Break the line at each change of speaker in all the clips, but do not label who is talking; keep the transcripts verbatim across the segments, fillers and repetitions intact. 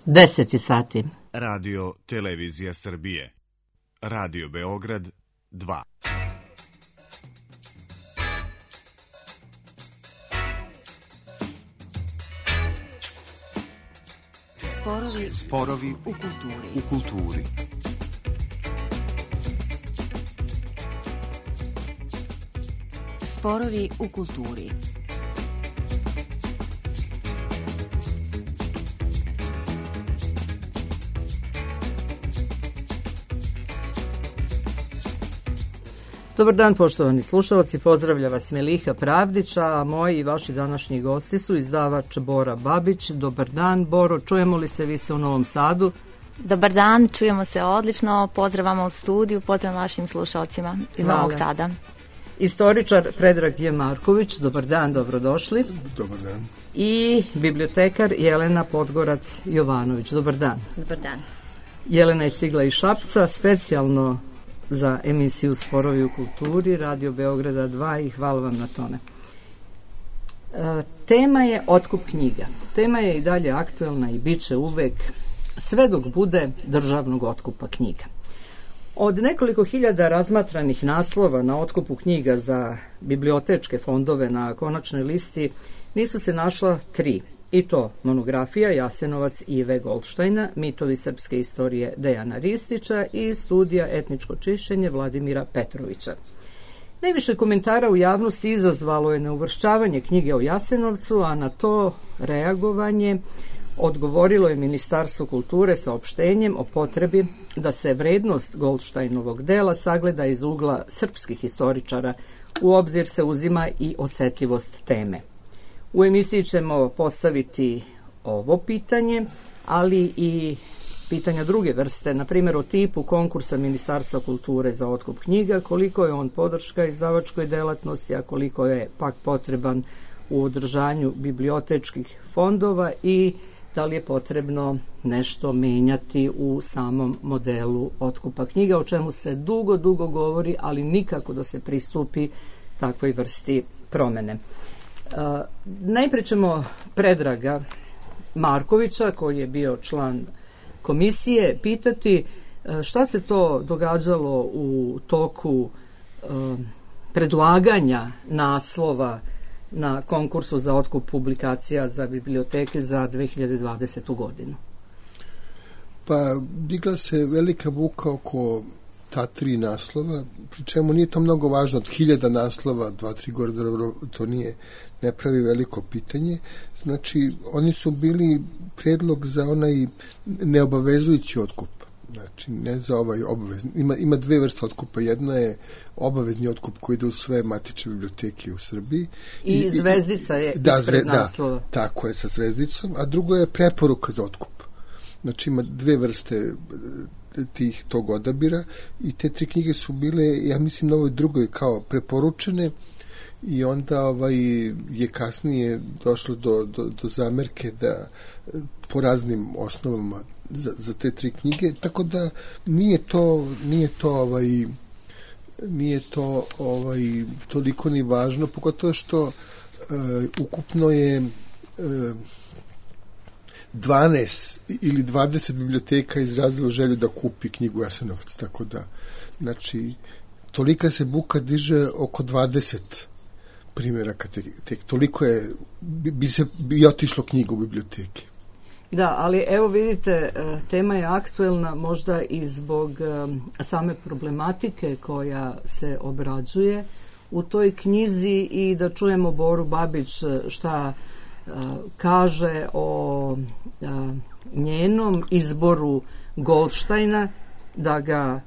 Deseti sati.
Radio Televizija Srbije. Radio Beograd dva.
Sporovi,
Sporovi
u kulturi.
u kulturi.
Sporovi u kulturi.
Dobar dan, poštovani slušalci, pozdravlja vas Meliha Pravdić, a moji i vaši današnji gosti su izdavač Bora Babić. Dobar dan, Boro, čujemo li se, vi ste u Novom Sadu?
Dobar dan, čujemo se odlično, pozdravamo u studiju, pozdrav vašim slušalcima iz
Hvala.
Novog Sada.
Istoričar Predrag J. Marković, dobar dan, dobrodošli.
Dobar dan.
I bibliotekar Jelena Podgorac-Jovanović, dobar dan.
Dobar dan.
Jelena je stigla iz Šapca, specijalno za emisiju Sporovi u kulturi, Radio Beograda dva, i hvala vam na tome. E, tema je otkup knjiga. Tema je i dalje aktuelna i bit će uvek, sve dok bude državnog otkupa knjiga. Od nekoliko hiljada razmatranih naslova na otkupu knjiga za bibliotečke fondove na konačnoj listi nisu se našla tri, i to monografija Jasenovac Ive Goldštajna, mitovi srpske istorije Dejana Ristića i studija Etničko čišćenje Vladimira Petrovića. Najviše komentara u javnosti izazvalo je neuvršćavanje knjige o Jasenovcu, a na to reagovanje odgovorilo je Ministarstvo kulture saopštenjem o potrebi da se vrednost Goldštajnovog dela sagleda iz ugla srpskih historičara. U obzir se uzima i osetljivost teme. U emisiji ćemo postaviti ovo pitanje, ali i pitanja druge vrste, na primjer o tipu konkursa Ministarstva kulture za otkup knjiga, koliko je on podrška izdavačkoj delatnosti, a koliko je pak potreban u održanju bibliotečkih fondova i da li je potrebno nešto menjati u samom modelu otkupa knjiga, o čemu se dugo, dugo govori, ali nikako da se pristupi takvoj vrsti promene. Uh, najpre ćemo Predraga Markovića, koji je bio član komisije, pitati uh, šta se to događalo u toku uh, predlaganja naslova na konkursu za otkup publikacija za biblioteke za dve hiljade dvadesetu godinu.
Pa digla se velika buka oko ta tri naslova, pri čemu nije to mnogo važno, od hiljada naslova, dva, tri gore, to nije, ne pravi veliko pitanje. Znači, oni su bili predlog za onaj neobavezujući otkup. Znači, ne za ovaj obavezni. Ima, ima dve vrste otkupa. Jedna je obavezni otkup koji ide u sve matične biblioteke u Srbiji.
I, I zvezdica je
da,
ispred
zve,
naslova.
Da, tako je, sa zvezdicom. A drugo je preporuka za otkup. Znači, ima dve vrste tih tog odabira i te tri knjige su bile, ja mislim, na ovoj drugoj kao preporučene i onda ovaj, je kasnije došlo do, do, do zamerke da po raznim osnovama za, za te tri knjige, tako da nije to nije to ovaj nije to ovaj toliko ni važno, pogotovo što uh, ukupno je uh, dvanaest ili dvadeset biblioteka izrazilo želju da kupi knjigu Jasenovac, tako da, znači, tolika se buka diže oko dvadeset primjeraka, tek, tek toliko je, bi, bi se bi otišlo knjigu u biblioteke.
Da, ali evo vidite, tema je aktuelna možda i zbog same problematike koja se obrađuje u toj knjizi i da čujemo Boru Babić šta kaže o njenom izboru Goldštajna da ga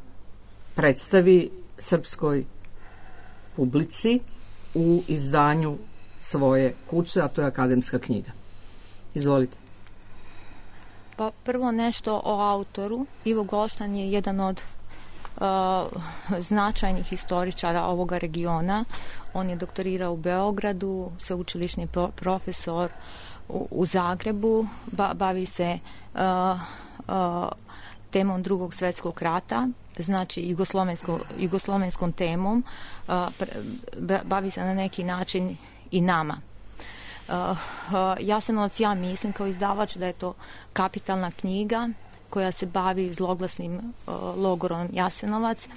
predstavi srpskoj publici u izdanju svoje kuće, a to je akademska knjiga. Izvolite.
Pa prvo nešto o autoru. Ivo Goldštajn je jedan od uh, značajnih historičara ovoga regiona. On je doktorirao u Beogradu, sveučilišni pro- profesor u, u Zagrebu, ba, bavi se uh, uh, temom Drugog svjetskog rata, znači jugoslovensko, jugoslovenskom temom, uh, pre, bavi se na neki način i nama. Jasenovac, ja mislim kao izdavač da je to kapitalna knjiga koja se bavi zloglasnim logorom Jasenovac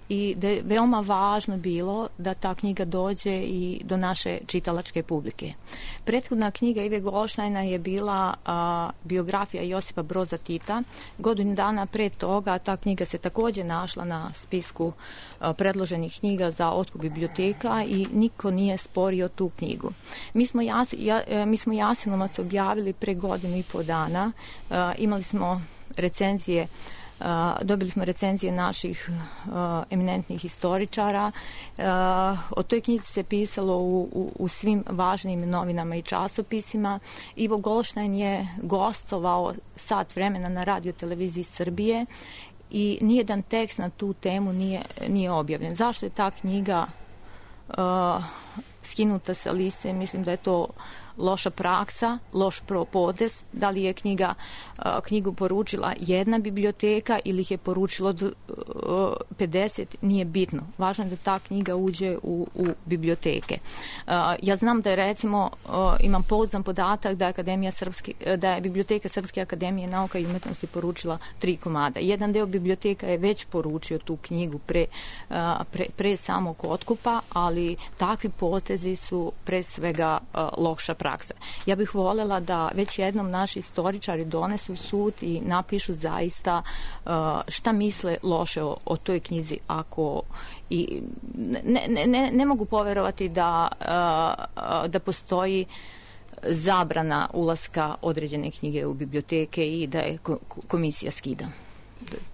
i da je veoma važno bilo da ta knjiga dođe i do naše čitalačke publike. Prethodna knjiga Ive Goldštajna je bila a, biografija Josipa Broza Tita. Godinu dana pre toga ta knjiga se također našla na spisku a, predloženih knjiga za otkup biblioteka i niko nije sporio tu knjigu. Mi smo, jas, ja, mi smo Jasenovac objavili pre godinu i po dana. A, imali smo recenzije Uh, dobili smo recenzije naših uh, eminentnih historičara. Uh, o toj knjizi se pisalo u, u, u svim važnim novinama i časopisima. Ivo Goldštajn je gostovao sat vremena na radio televiziji Srbije i nijedan tekst na tu temu nije, nije objavljen. Zašto je ta knjiga uh, skinuta sa liste? Mislim da je to loša praksa, loš propodez, da li je knjiga, knjigu poručila jedna biblioteka ili ih je poručilo pedeset, nije bitno. Važno je da ta knjiga uđe u, u biblioteke. Ja znam da je, recimo, imam pouzdan podatak da je, Akademija Srpske, da je biblioteka Srpske akademije nauka i umetnosti poručila tri komada. Jedan deo biblioteka je već poručio tu knjigu pre, pre, pre samog otkupa, ali takvi potezi su pre svega loša praksa. Praksa. Ja bih voljela da već jednom naši istoričari donesu sud i napišu zaista uh, šta misle loše o, o toj knjizi. Ako i ne, ne, ne, ne mogu poverovati da, uh, da postoji zabrana ulaska određene knjige u biblioteke i da je komisija skida.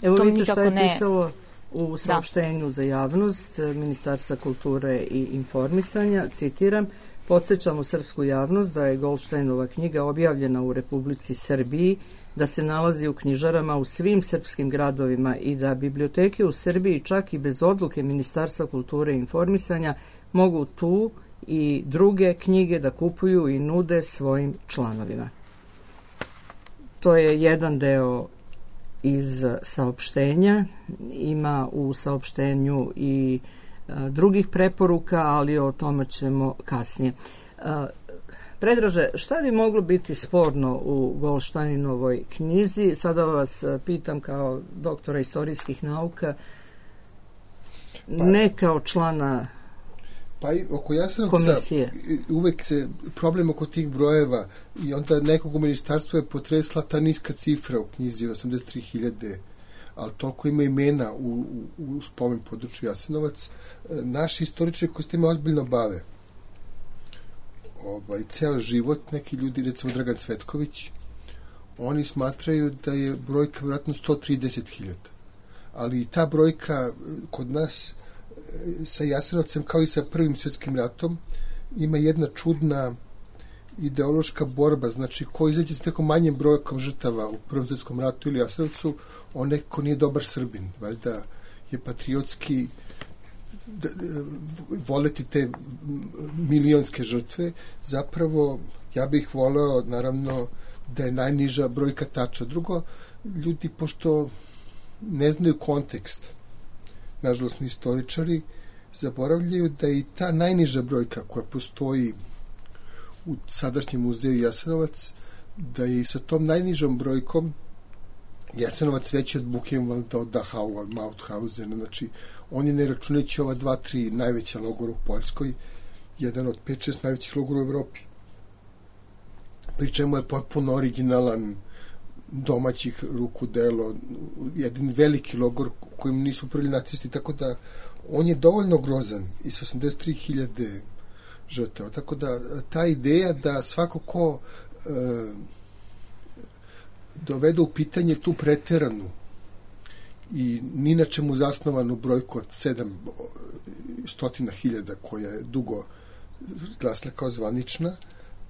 Evo vidite šta je ne... pisalo u saopštenju da. za javnost Ministarstva kulture i informisanja, citiram: "Podsjećamo srpsku javnost da je Goldštajnova knjiga objavljena u Republici Srbiji, da se nalazi u knjižarama u svim srpskim gradovima i da biblioteke u Srbiji čak i bez odluke Ministarstva kulture i informisanja mogu tu i druge knjige da kupuju i nude svojim članovima." To je jedan deo iz saopštenja. Ima u saopštenju i drugih preporuka, ali o tome ćemo kasnije. Predraže, šta bi moglo biti sporno u Goldštajnovoj knjizi? Sada vas pitam kao doktora istorijskih nauka, pa, ne kao člana
pa i oko Jasenovca uvek se problem oko tih brojeva i onda nekog u ministarstvu je potresla ta niska cifra u knjizi osamdeset tri hiljade, ali toliko ima imena u, u, u spomen području Jasenovac. Naši istoričari koji s time ozbiljno bave, ovaj, ceo život, neki ljudi, recimo Dragan Cvetković, oni smatraju da je brojka vjerojatno sto trideset hiljada. Ali i ta brojka kod nas sa Jasenovcem, kao i sa Prvim svjetskim ratom, ima jedna čudna ideološka borba, znači ko izađe s nekom manjim brojkom žrtava u Prvom svjetskom ratu ili Jasenovcu, on nekako nije dobar Srbin, valjda je patriotski da, da, voleti te milionske žrtve. Zapravo ja bih voleo naravno da je najniža brojka tača. Drugo, ljudi pošto ne znaju kontekst, nažalost ni istoričari, zaboravljaju da i ta najniža brojka koja postoji u sadašnjem muzeju Jasenovac, da je i sa tom najnižom brojkom Jasenovac veći od Buchenwalda, od Dachau, od Mauthausena. Znači, on je, ne računajući ova dva, tri najveća logora u Poljskoj, jedan od pet, šest najvećih logora u Evropi. Pri čemu je potpuno originalan, domaćih ruku delo, jedan veliki logor kojim nisu upravili nacisti, tako da on je dovoljno grozan i sa osamdeset tri hiljade žrtava. Tako da ta ideja da svako ko e, dovede u pitanje tu preteranu i ni na čemu zasnovanu brojku od sedam stotina hiljada koja je dugo glasila kao zvanična,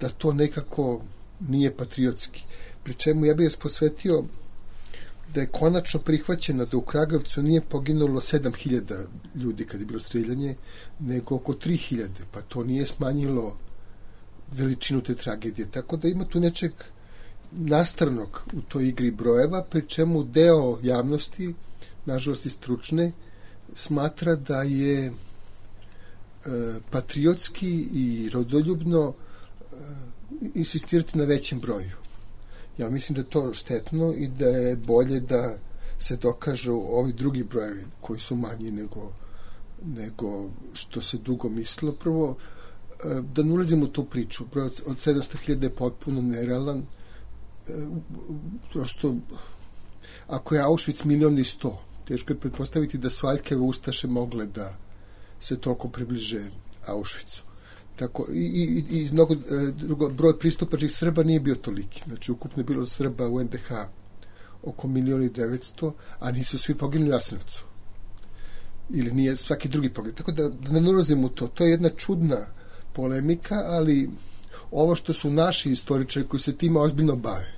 da to nekako nije patriotski. Pri čemu ja bih vas posvetio da je konačno prihvaćeno da u Kragujevcu nije poginulo sedam hiljada ljudi kad je bilo streljanje, nego oko tri hiljade, pa to nije smanjilo veličinu te tragedije. Tako da ima tu nečeg nastavnog u toj igri brojeva, pri čemu deo javnosti, nažalost i stručne, smatra da je e, patriotski i rodoljubno e, insistirati na većem broju. Ja mislim da je to štetno i da je bolje da se dokažu ovi drugi brojevi koji su manji nego, nego što se dugo mislilo. Prvo, da ne ulazimo u tu priču. Broj od sedamsto hiljada je potpuno nerealan. Prosto, ako je Auschwitz milion i sto, teško je pretpostaviti da su Aljkeve ustaše mogle da se toliko približe Auschwitzu. Tako, i, i, i mnogo, drugo, broj pristupačnih Srba nije bio toliki. Znači, ukupno je bilo Srba u en de ha oko milion i devetsto, a nisu svi poginuli u Jasenovcu. Ili nije svaki drugi poginuli. Tako da, da ne ulazimo u to. To je jedna čudna polemika, ali ovo što su naši istoričari koji se tima ozbiljno bave,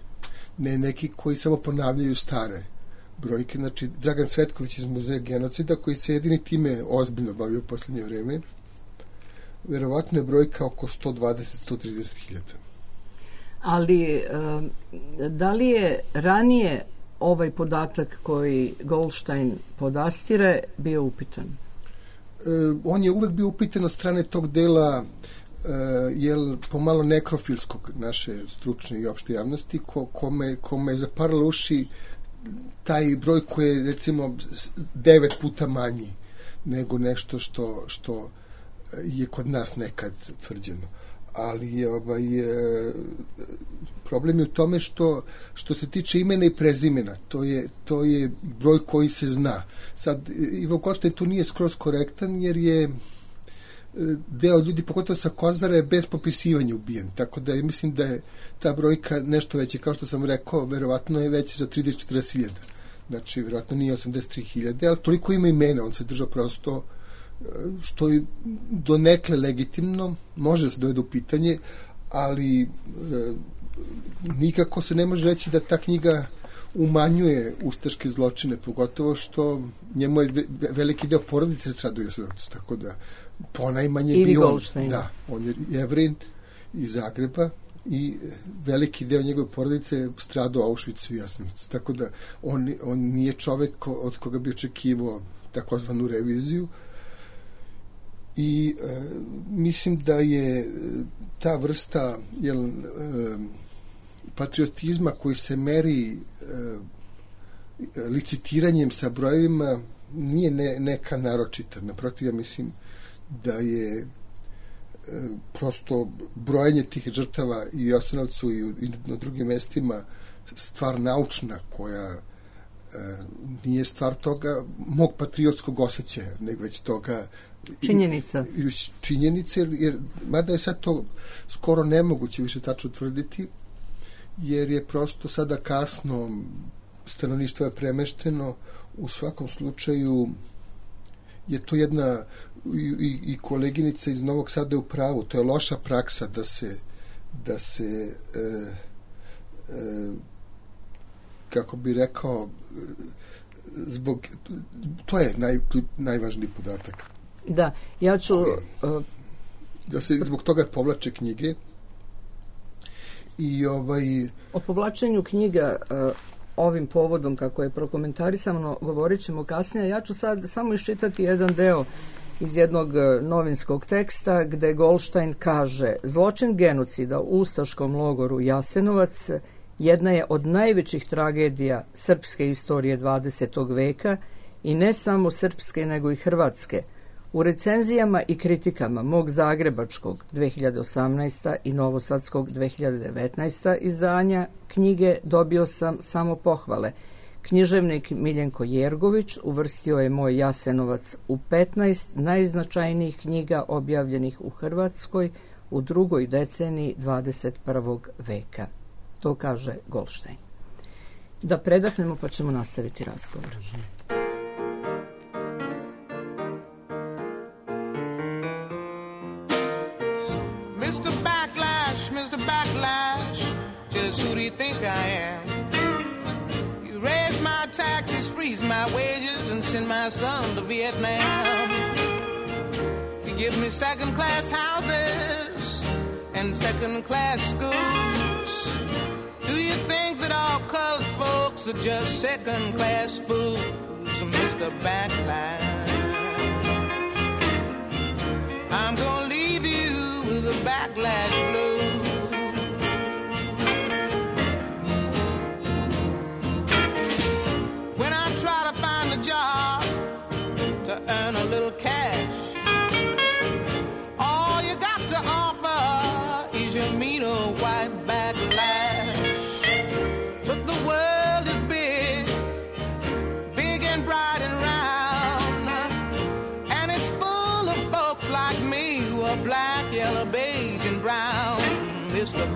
ne neki koji samo ponavljaju stare brojke, znači Dragan Cvetković iz Muzeja genocida koji se jedini time ozbiljno bavio u poslednje vreme, verovatno je brojka oko sto dvadeset do sto trideset hiljada.
Ali da li je ranije ovaj podatak koji Goldstein podastire bio upitan?
On je uvek bio upitan od strane tog dela jel, pomalo nekrofilskog naše stručne i opšte javnosti, ko, kome, kome je zaparalo uši taj broj koji je recimo devet puta manji nego nešto što, što je kod nas nekad tvrđeno. Ali ovaj, problem je u tome što, što se tiče imena i prezimena, to je, to je broj koji se zna. Sad, Ivo Goldstein tu nije skroz korektan, jer je deo ljudi, pogotovo sa Kozara, je bez popisivanja ubijen. Tako da mislim da je ta brojka nešto veća. Kao što sam rekao, verovatno je veća za trideset do četrdeset hiljada. Znači, verovatno nije osamdeset tri hiljade, ali toliko ima imena, on se držao prosto, što je donekle legitimno, može da se dovede u pitanje, ali e, nikako se ne može reći da ta knjiga umanjuje ustaške zločine, pogotovo što njemu je veliki deo porodice stradao u Jasenovcu, tako da ponajmanje
Ili
bio
Goldstein.
Da, on je Jevrin iz Zagreba i veliki deo njegove porodice je stradao u Auschwitzu i Jasenovcu, tako da on, on nije čovek ko, od koga bi očekivao takozvanu reviziju. I e, mislim da je ta vrsta jel, e, patriotizma koji se meri e, licitiranjem sa brojevima nije ne, neka naročita. Naprotiv, ja mislim da je e, prosto brojanje tih žrtava i u Jasenovcu i, i na drugim mestima stvar naučna koja e, nije stvar toga mog patriotskog osjećaja, nego već toga
činjenica.
Činjenice, jer, jer mada je sad to skoro nemoguće više tačno tvrditi, jer je prosto sada kasno, stanovništvo je premešteno, u svakom slučaju je to jedna i, i koleginica iz Novog Sada je u pravu, to je loša praksa da se da se e, e, kako bi rekao zbog, to je naj, najvažniji podatak.
Da, ja ću...
Uh, da se zbog toga povlače knjige i ovaj...
O povlačenju knjiga uh, ovim povodom, kako je prokomentarisano, govorit ćemo kasnije. Ja ću sad samo iščitati jedan deo iz jednog novinskog teksta gde Goldstein kaže: zločin genocida u ustaškom logoru Jasenovac jedna je od najvećih tragedija srpske istorije dvadesetog veka i ne samo srpske nego i hrvatske. U recenzijama i kritikama mog zagrebačkog dve hiljade osamnaeste. i novosadskog dve hiljade devetnaeste. izdanja knjige dobio sam samo pohvale. Književnik Miljenko Jergović uvrstio je moj Jasenovac u petnaest najznačajnijih knjiga objavljenih u Hrvatskoj u drugoj deceniji dvadeset prvog veka. To kaže Goldstein. Da predahnemo pa ćemo nastaviti razgovor.
mister Backlash, mister Backlash, just who do you think I am? You raise my taxes, freeze my wages, and send my son to Vietnam. You give me second-class houses and second-class schools. Do you think that all colored folks are just second-class fools, mister Backlash? I'm gonna leave you with a backlash blues.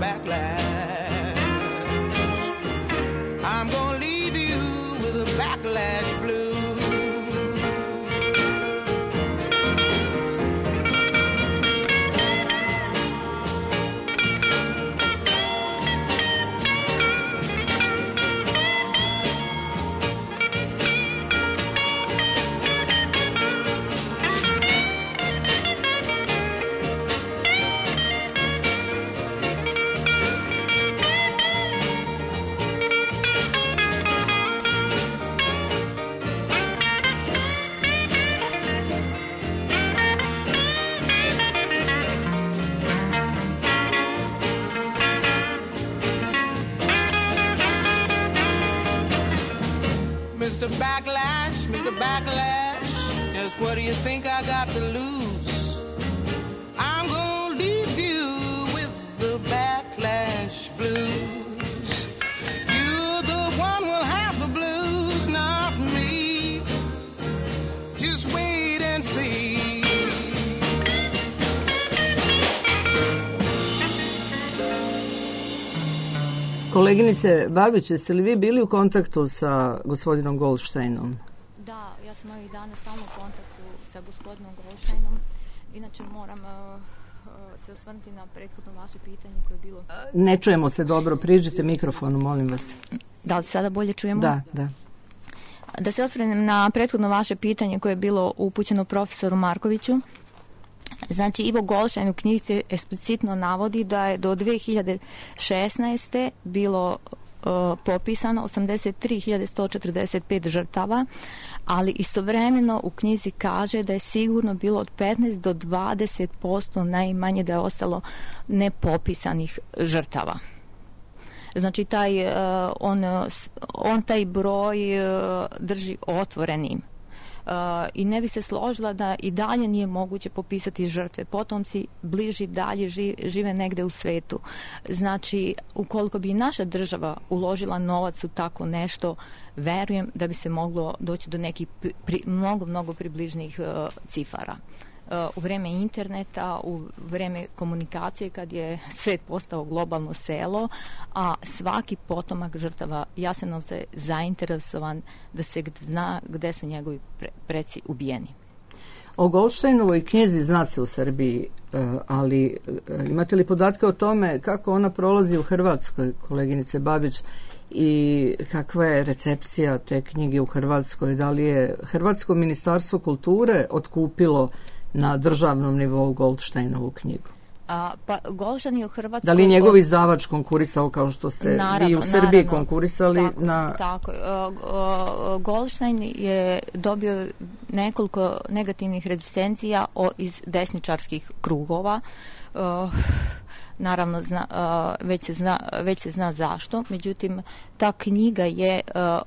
backlash. I'm gonna leave you with a backlash blue. Mister Backlash, Mister Backlash, just what do you think I got to lose? I'm gonna leave you with the backlash blues. You're the one who'll have the blues, not me. Just wait and see.
Koleginice Babić, jeste li vi bili u kontaktu sa gospodinom Goldsteinom?
Da, ja sam ovih dana stalno u kontaktu sa gospodinom Goldsteinom. Inače moram uh, uh, se osvrnuti na prethodno vaše pitanje koje je bilo...
Ne čujemo se dobro, priđite mikrofonu, molim vas.
Da li sada bolje čujemo?
Da, da.
Da se osvrnem na prethodno vaše pitanje koje je bilo upućeno profesoru Markoviću. Znači, Ivo Goldstein u knjizi eksplicitno navodi da je do dve hiljade šesnaeste bilo uh, popisano osamdeset tri hiljade sto četrdeset pet žrtava, ali istovremeno u knjizi kaže da je sigurno bilo od petnaest do dvadeset posto najmanje da je ostalo nepopisanih žrtava. Znači, taj, uh, on, on taj broj uh, drži otvorenim. Uh, i ne bi se složila da i dalje nije moguće popisati žrtve. Potomci bliži dalje ži, žive negde u svetu. Znači, ukoliko bi naša država uložila novac u tako nešto, verujem da bi se moglo doći do nekih pri, pri, mnogo, mnogo približnih uh, cifara. Uh, u vreme interneta, u vreme komunikacije, kad je svet postao globalno selo, a svaki potomak žrtava Jasenovca je zainteresovan da se zna gde su njegovi pre, preci ubijeni.
O Goldsteinovoj knjizi zna se u Srbiji, ali imate li podatke o tome kako ona prolazi u Hrvatskoj, koleginice Babić, i kakva je recepcija te knjige u Hrvatskoj? Da li je Hrvatsko ministarstvo kulture otkupilo na državnom nivou Goldsteinovu knjigu?
A, pa Goldstein je u Hrvatskoj...
Da li je njegov izdavač konkurisao kao što ste naravno, vi u Srbiji naravno, konkurisali?
Tako,
na...
tako. Uh, Goldstein je dobio nekoliko negativnih rezistencija o, iz desničarskih krugova. Uh, naravno, zna, uh, već, se zna, već se zna zašto. Međutim, ta knjiga je... Uh,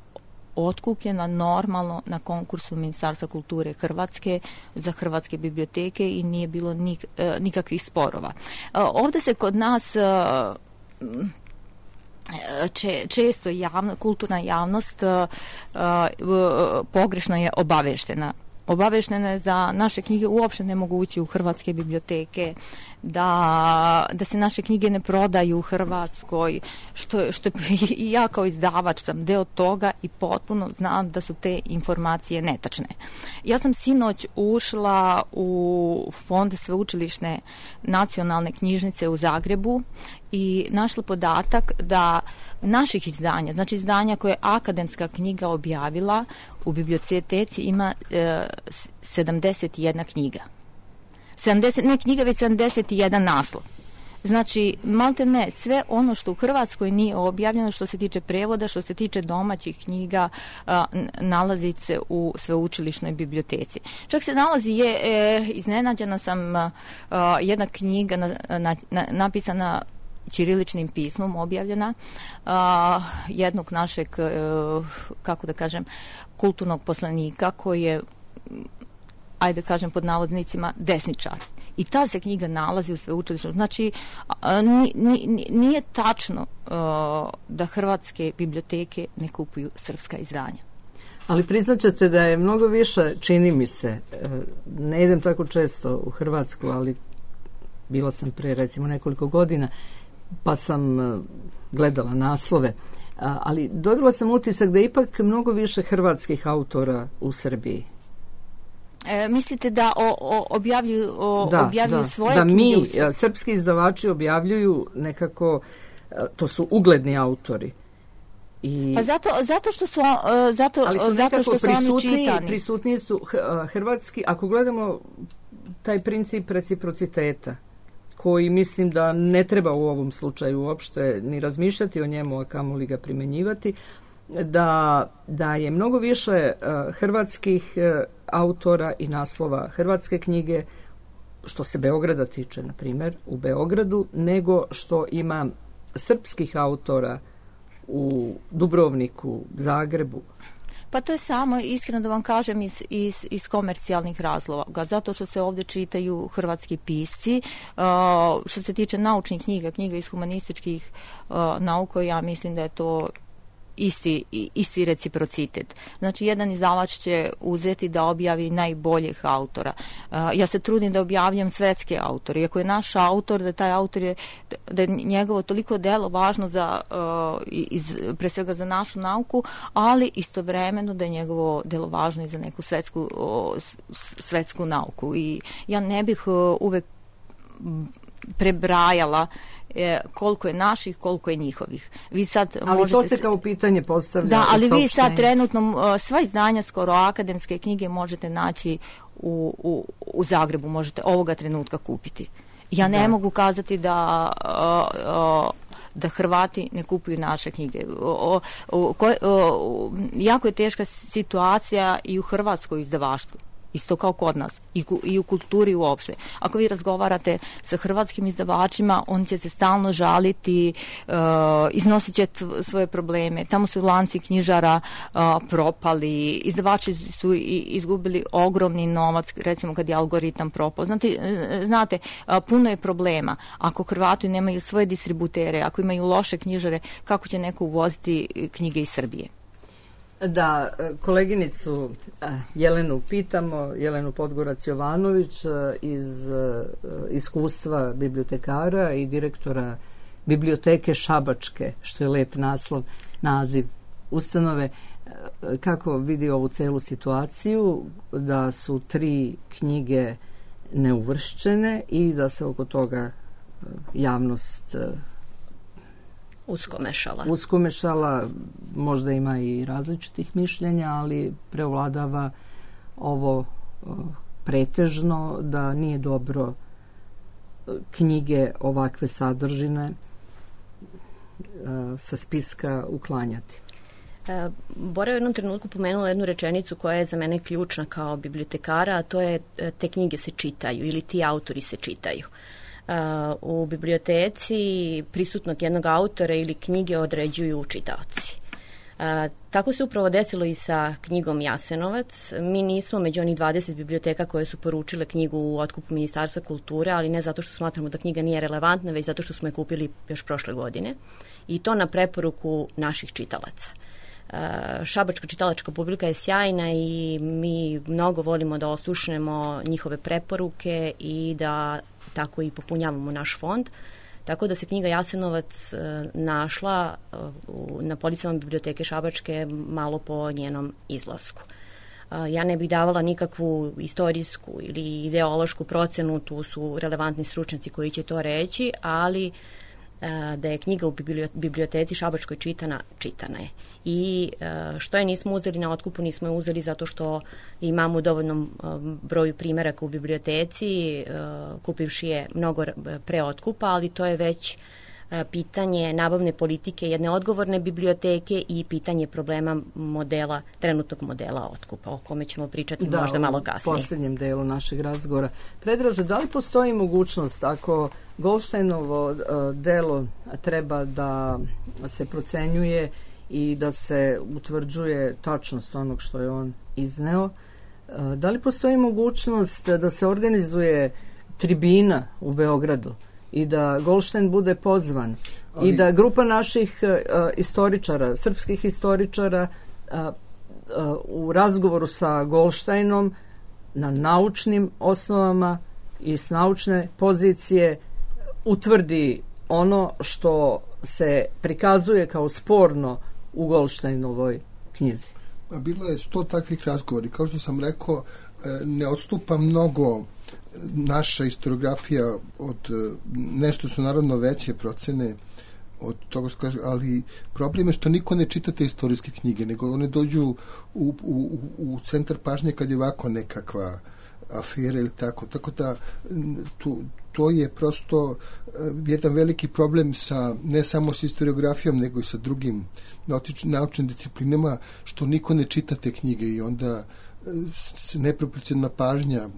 otkupljena normalno na konkursu Ministarstva kulture Hrvatske za hrvatske biblioteke i nije bilo nik, nikakvih sporova. Ovdje se kod nas če, često javno, kulturna javnost pogrešno je obaveštena. Obaveštena je da naše knjige uopšte ne mogu ući u hrvatske biblioteke, da, da se naše knjige ne prodaju u Hrvatskoj, što, što i ja kao izdavač sam deo toga i potpuno znam da su te informacije netačne. Ja sam sinoć ušla u fond sveučilišne nacionalne knjižnice u Zagrebu i našla podatak da naših izdanja, znači izdanja koje je akademska knjiga objavila, u biblioteci ima e, sedamdeset jedna knjiga. sedamdeset, ne knjiga, već sedamdeset jedan naslov. Znači, malte ne, sve ono što u Hrvatskoj nije objavljeno, što se tiče prevoda, što se tiče domaćih knjiga, a, nalazi se u sveučilišnoj biblioteci. Čak se nalazi, je, e, iznenađena sam, a, jedna knjiga na, na, na, napisana ćiriličnim pismom, objavljena, a, jednog našeg, e, kako da kažem, kulturnog poslanika koji je, ajde kažem pod navodnicima, desničar. I ta se knjiga nalazi u sveučilištu. Znači, nije tačno da hrvatske biblioteke ne kupuju srpska izdanja.
Ali priznaćete da je mnogo više, čini mi se, ne idem tako često u Hrvatsku, ali bila sam pre recimo nekoliko godina, pa sam gledala naslove, ali dobila sam utisak da je ipak mnogo više hrvatskih autora u Srbiji.
E, mislite da o, o, objavljuju, o,
da,
objavljuju
da,
svoje
da
knjige?
mi, srpski izdavači objavljuju nekako, to su ugledni autori. I,
pa zato, zato što su, zato,
ali su
zato što su oni čitani.
Prisutniji su hrvatski, ako gledamo taj princip reciprociteta, koji mislim da ne treba u ovom slučaju uopšte ni razmišljati o njemu, a kamoli ga primenjivati, da, da je mnogo više uh, hrvatskih uh, autora i naslova hrvatske knjige, što se Beograda tiče, na primjer, u Beogradu, nego što ima srpskih autora u Dubrovniku, Zagrebu.
Pa to je samo, iskreno da vam kažem, iz, iz, iz komercijalnih razloga, zato što se ovdje čitaju hrvatski pisci. Uh, što se tiče naučnih knjiga, knjiga iz humanističkih uh, nauka, ja mislim da je to isti, isti reciprocitet. Znači, jedan izdavač će uzeti da objavi najboljih autora. Uh, ja se trudim da objavljam svetske autore. Iako je naš autor, da taj autor je, da je njegovo toliko delo važno za, uh, iz, pre svega za našu nauku, ali istovremeno da je njegovo delo važno i za neku svetsku, uh, svetsku nauku. I ja ne bih uh, uvek prebrajala e, koliko je naših, koliko je njihovih. Vi sad
ali
možete
to se kao pitanje postavlja.
Da, ali vi sad trenutno sva izdanja, skoro akademske knjige možete naći u, u, u Zagrebu, možete ovoga trenutka kupiti. Ja ne da. mogu kazati da uh, uh, da Hrvati ne kupuju naše knjige. O, o, ko, o, jako je teška situacija i u hrvatskoj izdavaštvu. Isto kao kod nas i, i u kulturi uopšte. Ako vi razgovarate sa hrvatskim izdavačima, on će se stalno žaliti, uh, iznosit će t- svoje probleme. Tamo su lanci knjižara uh, propali, izdavači su i, izgubili ogromni novac, recimo kad je algoritam propao. Znate, znate uh, puno je problema. Ako Hrvati nemaju svoje distributere, ako imaju loše knjižare, kako će neko uvoziti knjige iz Srbije?
Da, koleginicu Jelenu pitamo, Jelenu Podgorac-Jovanović iz iskustva bibliotekara i direktora biblioteke Šabačke, što je lep naslov, naziv ustanove, kako vidi ovu celu situaciju, da su tri knjige neuvršćene i da se oko toga javnost
uskomešala.
Uskomešala, možda ima i različitih mišljenja, ali preovladava ovo pretežno da nije dobro knjige ovakve sadržine sa spiska uklanjati.
E, Bora je u jednom trenutku pomenula jednu rečenicu koja je za mene ključna kao bibliotekara, a to je te knjige se čitaju ili ti autori se čitaju. Uh, u biblioteci prisutnog jednog autora ili knjige određuju čitaoci. Uh, tako se upravo desilo i sa knjigom Jasenovac. Mi nismo među onih dvadeset biblioteka koje su poručile knjigu u otkupu Ministarstva kulture, ali ne zato što smatramo da knjiga nije relevantna, već zato što smo je kupili još prošle godine. I to na preporuku naših čitalaca. Uh, Šabačka čitalačka publika je sjajna i mi mnogo volimo da oslušnemo njihove preporuke i da tako i popunjavamo naš fond. Tako da se knjiga Jasenovac uh, našla uh, na policama biblioteke Šabačke malo po njenom izlasku. Uh, ja ne bih davala nikakvu istorijsku ili ideološku procenu, tu su relevantni stručnjaci koji će to reći, ali uh, da je knjiga u biblioteci Šabačkoj čitana, čitana je. I što je nismo uzeli na otkupu, nismo je uzeli zato što imamo u dovoljnom broju primjeraka u biblioteci, kupivši je mnogo pre otkupa, ali to je već pitanje nabavne politike jedne odgovorne biblioteke i pitanje problema modela, trenutnog modela otkupa, o kome ćemo pričati da, možda malo kasnije.
Da, u posljednjem delu našeg razgovora. Predraže, da li postoji mogućnost ako Goldsteinovo delo treba da se procenjuje i da se utvrđuje tačnost onog što je on izneo, da li postoji mogućnost da se organizuje tribina u Beogradu i da Goldstein bude pozvan ali... i da grupa naših uh, istoričara, srpskih istoričara uh, uh, u razgovoru sa Goldsteinom na naučnim osnovama i s naučne pozicije utvrdi ono što se prikazuje kao sporno u Goldsteinovoj knjizi?
Bilo je sto takvih razgovori. Kao što sam rekao, ne odstupa mnogo naša historiografija od, nešto su naravno veće procene od toga što kaže, ali problem je što niko ne čita te istorijske knjige, nego one dođu u, u, u centar pažnje kad je ovako nekakva afera ili tako. Tako da tu, to je prosto jedan veliki problem sa, ne samo s historiografijom, nego i sa drugim naučnim disciplinama, što niko ne čita te knjige i onda se neproporcionalna pažnja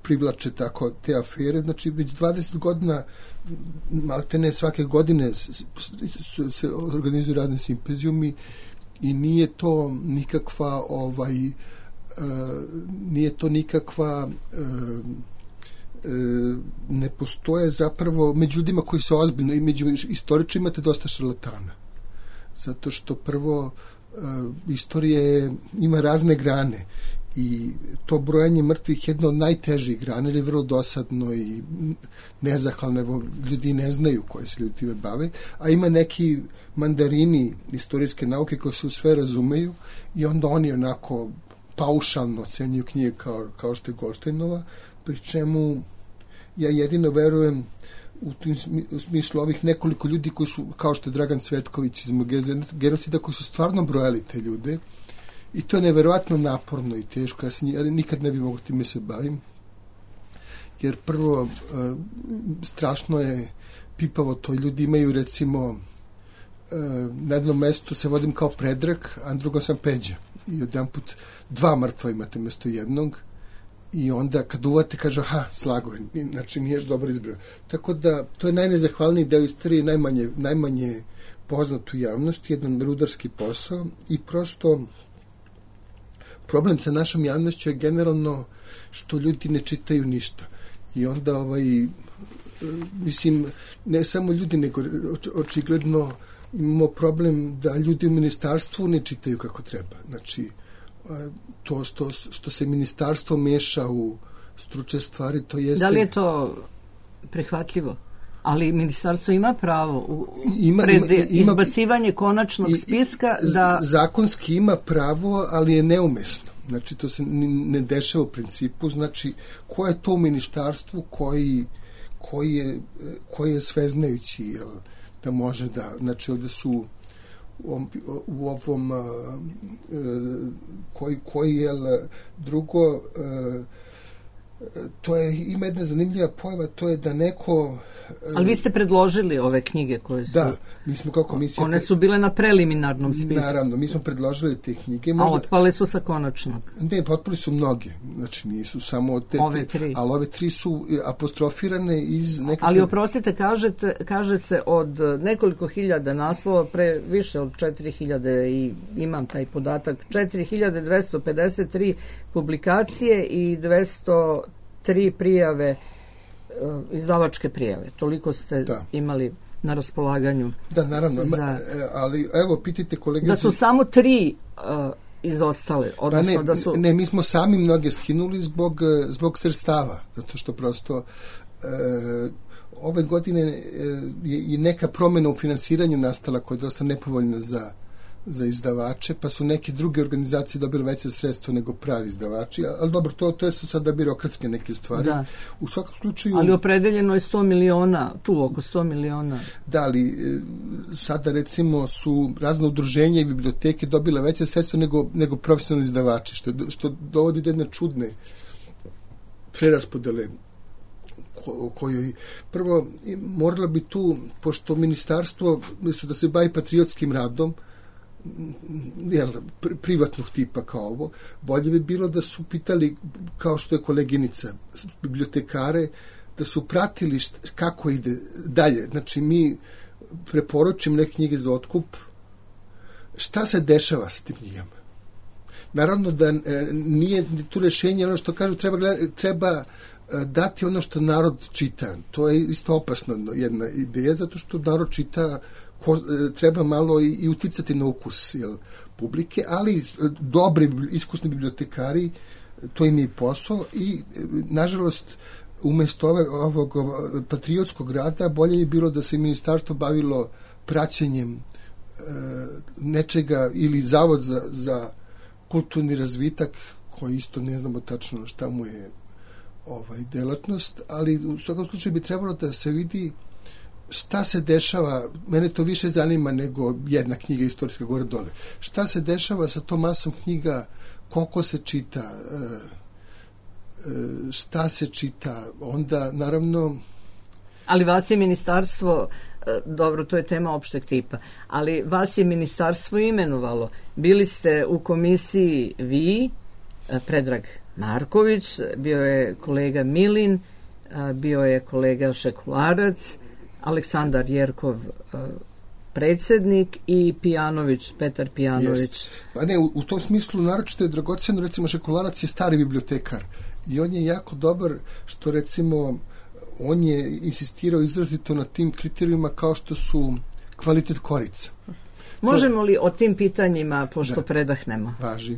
privlače tako te afere. Znači, već dvadeset godina, maltene svake godine se organizuju razne simpozijumi i nije to nikakva ovaj, nije to nikakva ne postoje zapravo među ljudima koji se ozbiljno i među istoričima imate dosta šarlatana. Zato što prvo istorije ima razne grane i to brojanje mrtvih je jedno od najtežih grana, jer je vrlo dosadno i nezahvalno, evo, ljudi ne znaju koji se ljudi time bave, a ima neki mandarini istorijske nauke koji se sve razumeju i onda oni onako paušalno ocenjuju knjige kao, kao što je Goldsteinova, pri čemu ja jedino verujem u, tim, u smislu ovih nekoliko ljudi koji su, kao što je Dragan Cvetković iz genocida, koji su stvarno brojali te ljude i to je neverovatno naporno i teško. Ja, se, ja nikad ne bi mogo time se bavim, jer prvo strašno je pipavo to. Ljudi imaju recimo na jednom mestu se vodim kao Predrag, a na drugom sam Peđa i odjedan put dva mrtva imate mesto jednog i onda kad uvate kaže aha, slago je, znači nije dobro izbrao. Tako da to je najnezahvalniji deo istorije, najmanje, najmanje poznat u javnosti, jedan rudarski posao i prosto problem sa našom javnošću je generalno što ljudi ne čitaju ništa i onda ovaj mislim, ne samo ljudi nego očigledno imamo problem da ljudi u ministarstvu ne čitaju kako treba. Znači, to što, što se ministarstvo meša u stručne stvari, to jeste...
Da li je to prihvatljivo? Ali ministarstvo ima pravo u
ima,
pred
ima, ima,
izbacivanje konačnog spiska da...
Zakonski ima pravo, ali je neumesno. Znači, to se ne dešava u principu. Znači, ko je to u ministarstvu koji, koji, je, koji je sveznajući, jel, da može da... Znači, ovde su u, u ovom koji, koji je drugo... To je, ima jedna zanimljiva pojava, to je da neko...
Ali vi ste predložili ove knjige koje su...
Da, mi smo kao komisija...
One su bile na preliminarnom spisku.
Naravno, mi smo predložili te knjige.
Možda... A otpali su sa konačnog?
Ne, otpali su mnoge. Znači, nisu samo te...
Ove tri.
Ali ove tri su apostrofirane iz nekakve...
Ali oprostite, kažete, kaže se od nekoliko hiljada naslova, pre više od četiri hiljade i imam taj podatak, četiri hiljade dvesta pedeset tri publikacije i dvesta tri prijave, izdavačke prijave. Toliko ste da. imali na raspolaganju.
Da, naravno.
Za...
Ali, evo, pitajte kolege...
Da su samo tri uh, izostale. Odnosno,
pa ne,
da su...
ne, mi smo sami mnoge skinuli zbog, zbog sredstava. Zato što prosto uh, ove godine je i neka promjena u finansiranju nastala koja je dosta nepovoljna za za izdavače, pa su neke druge organizacije dobile veće sredstva nego pravi izdavači, ali dobro, to, to je sada birokratske neke stvari.
Da.
U svakom slučaju...
Ali opredeljeno je sto miliona, tu oko sto miliona.
Da, ali sada recimo su razne udruženja i biblioteke dobile veće sredstva nego, nego profesionalni izdavači, što, što dovodi do jedne čudne preraspodele ko, kojoj... Prvo, moralo bi tu, pošto ministarstvo, mjesto da se bavi patriotskim radom, jel, privatnog tipa kao ovo, bolje bi bilo da su pitali, kao što je koleginica, bibliotekare, da su pratili št, kako ide dalje. Znači, mi preporučimo neke knjige za otkup, šta se dešava sa tim knjigama. Naravno da e, nije tu rešenje ono što kažu, treba, treba dati ono što narod čita. To je isto opasna jedna ideja, zato što narod čita ko, treba malo i, i uticati na ukus, jel, publike, ali dobri, iskusni bibliotekari, to im je posao i, nažalost, umjesto ove, ovog patriotskog rada bolje je bilo da se ministarstvo bavilo praćenjem e, nečega ili zavod za, za kulturni razvitak, koji isto ne znamo tačno šta mu je ovaj delatnost, ali u svakom slučaju bi trebalo da se vidi šta se dešava, mene to više zanima nego jedna knjiga istorijska gore dole. Šta se dešava sa tom masom knjiga, koliko se čita, šta se čita, onda naravno...
Ali vas je ministarstvo, dobro, to je tema opšteg tipa, ali vas je ministarstvo imenovalo. Bili ste u komisiji vi, Predrag Marković, bio je kolega Milin, bio je kolega Šekularac, Aleksandar Jerkov predsjednik i Pijanović, Petar Pijanović.
Jest. Pa ne, u, u tom smislu naročito je dragoceno, recimo Šekularac je stari bibliotekar i on je jako dobar što recimo on je insistirao izrazito na tim kriterijima kao što su kvalitet korica.
Možemo li o tim pitanjima, pošto
da,
predahnemo?
Važi.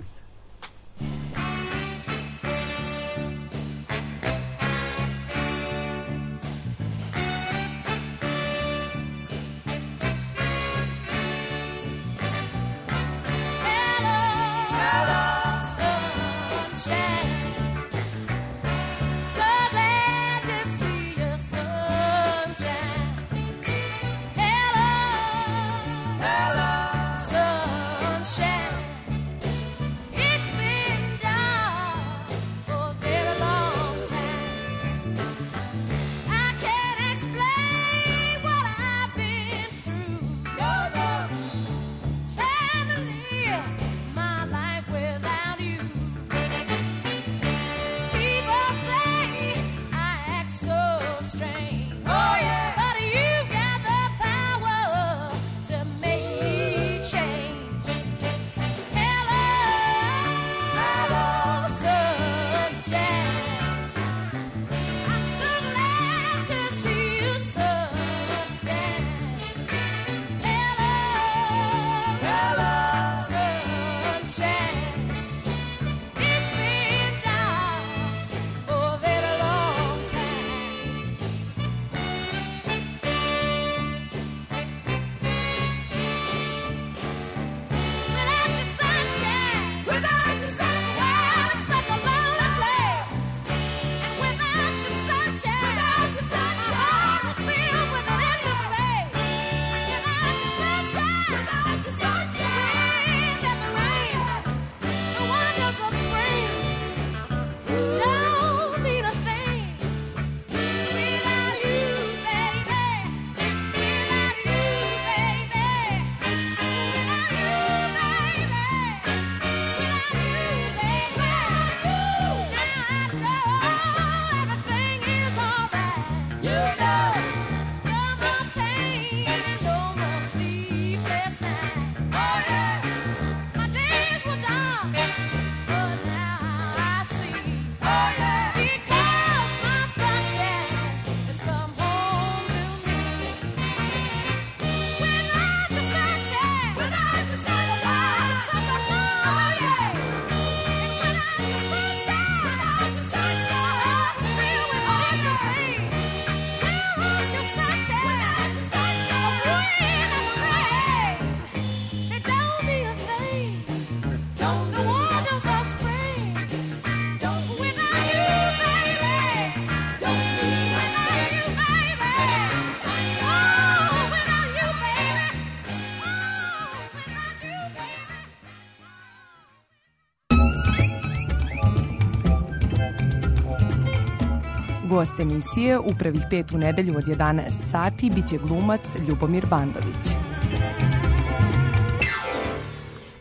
Gost emisije u prvih pet u nedelju od jedanaest sati biće glumac Ljubomir Bandović.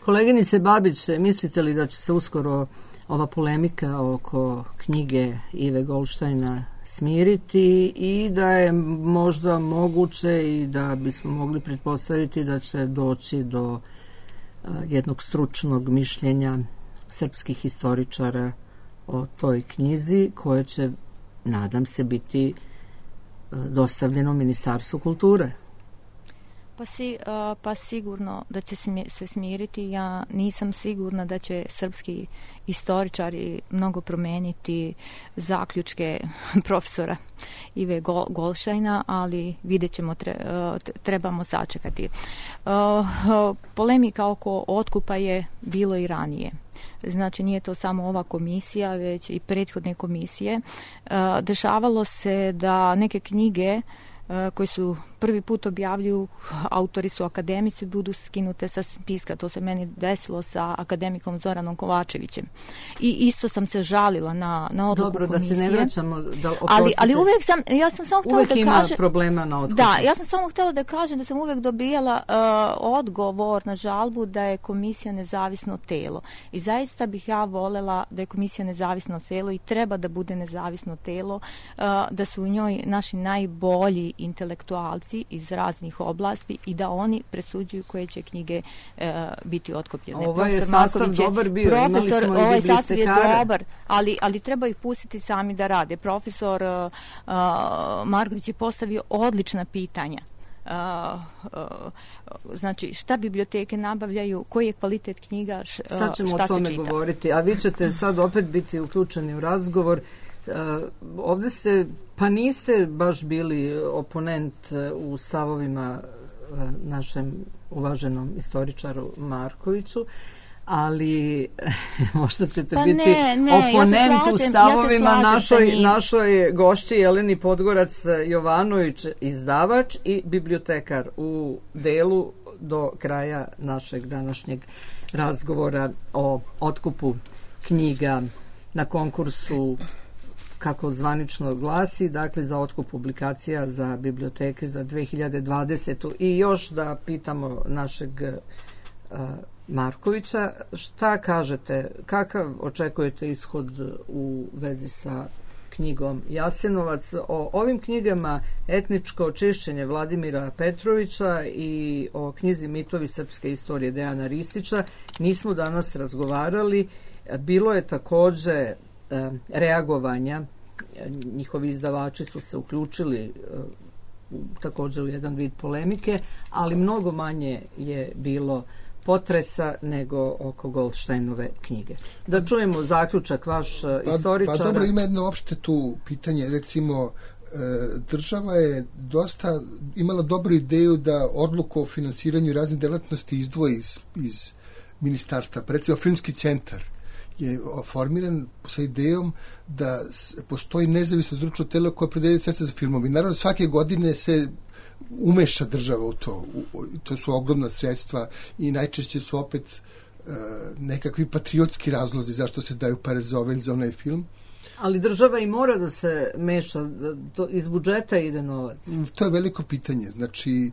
Koleginice Babić, mislite li da će se uskoro ova polemika oko knjige Ive Goldštajna smiriti i da je možda moguće i da bismo mogli pretpostaviti da će doći do jednog stručnog mišljenja srpskih historičara o toj knjizi koje će, nadam se, biti dostavljeno Ministarstvu kulture?
Pa, si, uh, pa sigurno da će se smiriti. Ja nisam sigurna da će srpski istoričari mnogo promeniti zaključke profesora Ive Gol- Golšajna, ali vidjet ćemo, tre, uh, trebamo sačekati. Uh, uh, polemika oko otkupa je bilo i ranije. Znači nije to samo ova komisija, već i prethodne komisije. Uh, dešavalo se da neke knjige koji su prvi put objavljuju, autori su akademici, budu skinute sa spiska. To se meni desilo sa akademikom Zoranom Kovačevićem. I isto sam se žalila na, na odluku
Dobro,
komisije.
Dobro, da se ne vraćamo, da
ali, ali uvijek sam, ja sam samo htjela da kažem...
Uvijek ima problema na otkupu.
Da, ja sam samo htjela da kažem da sam uvijek dobijala uh, odgovor na žalbu da je komisija nezavisno telo. I zaista bih ja voljela da je komisija nezavisno telo i treba da bude nezavisno telo, uh, da su u njoj naši najbolji intelektualci iz raznih oblasti i da oni presuđuju koje će knjige e, biti otkupljene.
Ovo je sastav dobar bio, imali smo i bibliotekare.
Ovaj sastav je dobar, ali, ali treba ih pustiti sami da rade. Profesor uh, Marković je postavio odlična pitanja. Uh, uh, znači šta biblioteke nabavljaju, koji je kvalitet knjiga, š, uh,
sad ćemo
šta
o tome
se čita.
govoriti, a vi ćete sad opet biti uključeni u razgovor. Uh, ovdje ste, pa niste baš bili oponent u stavovima uh, našem uvaženom istoričaru Markoviću, ali možda ćete
pa
biti
ne, ne,
oponent
ja slažem,
u stavovima
ja
našoj, našoj gošći Jeleni Podgorac Jovanović, izdavač i bibliotekar u delu do kraja našeg današnjeg razgovora o otkupu knjiga na konkursu, kako zvanično glasi, dakle za otkup publikacija za biblioteke za dve hiljade dvadesetu. I još da pitamo našeg uh, Markovića, šta kažete, kakav očekujete ishod u vezi sa knjigom Jasenovac? O ovim knjigama Etničko očišćenje Vladimira Petrovića i o knjizi Mitovi srpske istorije Dejana Ristića nismo danas razgovarali. Bilo je također reagovanja, njihovi izdavači su se uključili također u jedan vid polemike, ali mnogo manje je bilo potresa nego oko Goldsteinove knjige. Da čujemo zaključak vaš istoričara.
Pa, pa dobro, ima jedno opšte tu pitanje, recimo država je dosta imala dobru ideju da odluku o finansiranju raznih delatnosti izdvoji iz, iz ministarstva. Recimo Filmski centar je formiran sa idejom da postoji nezavisno stručno telo koje predeljuje sredstva za filmovi. Naravno, svake godine se umeša država u to. U, to su ogromna sredstva i najčešće su opet uh, nekakvi patriotski razlozi zašto se daju pare za ovaj ili za onaj film.
Ali država i mora da se meša, to iz budžeta ide novac.
To je veliko pitanje. Znači,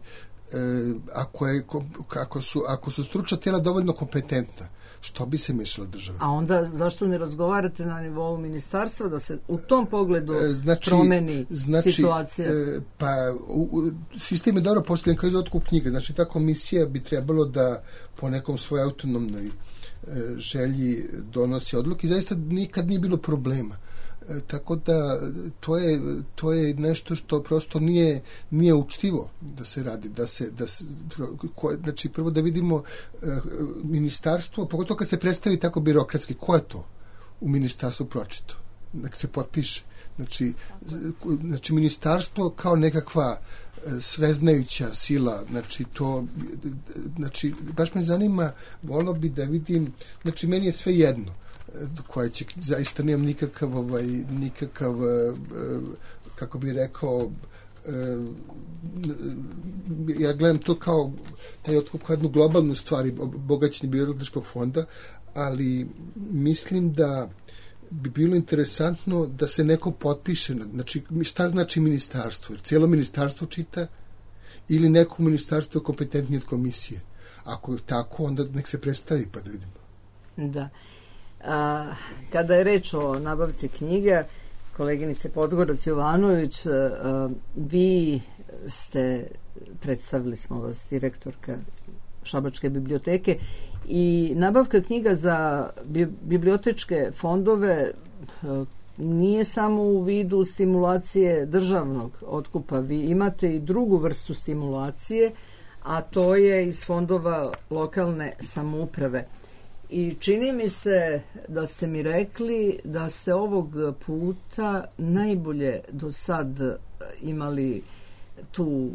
e, ako, je, ako, su, ako su stručna tela dovoljno kompetentna, što bi se mešala država?
A onda zašto ne razgovarate na nivou ministarstva da se u tom pogledu e, znači, promeni
znači,
situacija?
E, pa u, u, sistem je dobro postavljen kao iz otkup knjiga. Znači ta komisija bi trebalo da po nekom svojoj autonomnoj e, želji donosi odluke i zaista nikad nije bilo problema. E, tako da to je, to je nešto što prosto nije, nije učtivo da se radi, da se, da se ko, znači prvo da vidimo e, ministarstvo, pogotovo kad se predstavi tako birokratski, ko je to u ministarstvu pročito, nek se potpiše. Znači, znači ministarstvo kao nekakva sveznajuća sila, znači to, znači baš me zanima, volio bi da vidim, znači meni je sve jedno koja će, zaista nemam nikakav ovaj, nikakav kako bi rekao ja gledam to kao taj otkup kao jednu globalnu stvari bogaćenje bibliotečkog fonda, ali mislim da bi bilo interesantno da se neko potpiše, znači šta znači ministarstvo, jer cijelo ministarstvo čita ili neko ministarstvo kompetentnije od komisije. Ako je tako, onda nek se predstavi pa da vidimo.
Da. A, kada je reč o nabavci knjige, koleginice Podgorac Jovanović, a, vi ste, predstavili smo vas, direktorka Šabačke biblioteke, i nabavka knjiga za bibliotečke fondove a, nije samo u vidu stimulacije državnog otkupa. Vi imate i drugu vrstu stimulacije, a to je iz fondova lokalne samouprave. I čini mi se da ste mi rekli da ste ovog puta najbolje do sad imali tu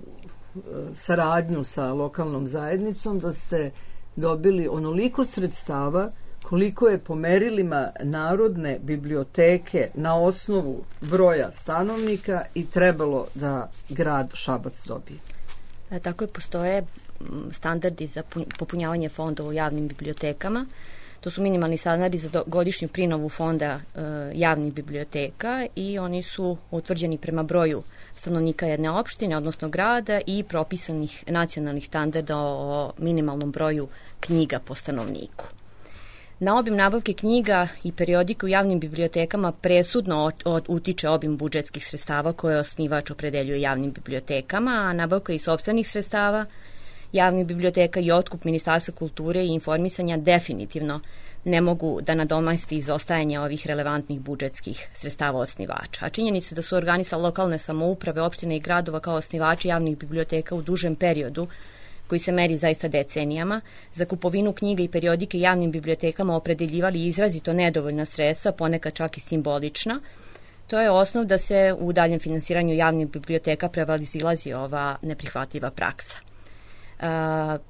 saradnju sa lokalnom zajednicom, da ste dobili onoliko sredstava koliko je po merilima Narodne biblioteke na osnovu broja stanovnika i trebalo da grad Šabac dobije.
E, tako je, postoje standardi za popunjavanje fondova u javnim bibliotekama. To su minimalni standardi za godišnju prinovu fonda e, javnih biblioteka i oni su utvrđeni prema broju stanovnika jedne opštine, odnosno grada, i propisanih nacionalnih standarda o minimalnom broju knjiga po stanovniku. Na obim nabavke knjiga i periodike u javnim bibliotekama presudno od, od, utiče obim budžetskih sredstava koje osnivač opredeljuje javnim bibliotekama, a nabavka i sopstvenih sredstava javnih biblioteka i otkup Ministarstva kulture i informisanja definitivno ne mogu da nadomesti izostajanje ovih relevantnih budžetskih sredstava osnivača. A činjenica da su organi sa lokalne samouprave, opštine i gradova kao osnivači javnih biblioteka u dužem periodu, koji se meri zaista decenijama, za kupovinu knjiga i periodike javnim bibliotekama opredeljivali izrazito nedovoljna sredstva, ponekad čak i simbolična. To je osnov da se u daljem finansiranju javnih biblioteka prevazilazi ova neprihvatljiva praksa. Uh,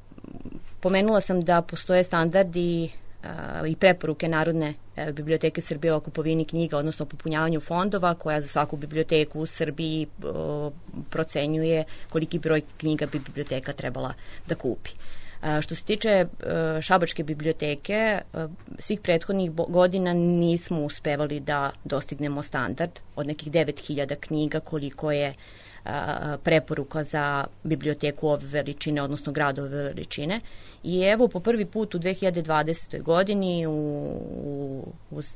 pomenula sam da postoje standardi uh, i preporuke Narodne uh, biblioteke Srbije o kupovini knjiga, odnosno popunjavanju fondova, koja za svaku biblioteku u Srbiji uh, procenjuje koliki broj knjiga bi biblioteka trebala da kupi. Uh, što se tiče uh, Šabačke biblioteke, uh, svih prethodnih godina nismo uspevali da dostignemo standard od nekih devet hiljada knjiga koliko je preporuka za biblioteku ove veličine, odnosno gradove veličine. I evo po prvi put u dve hiljade dvadesetoj godini u, u, uz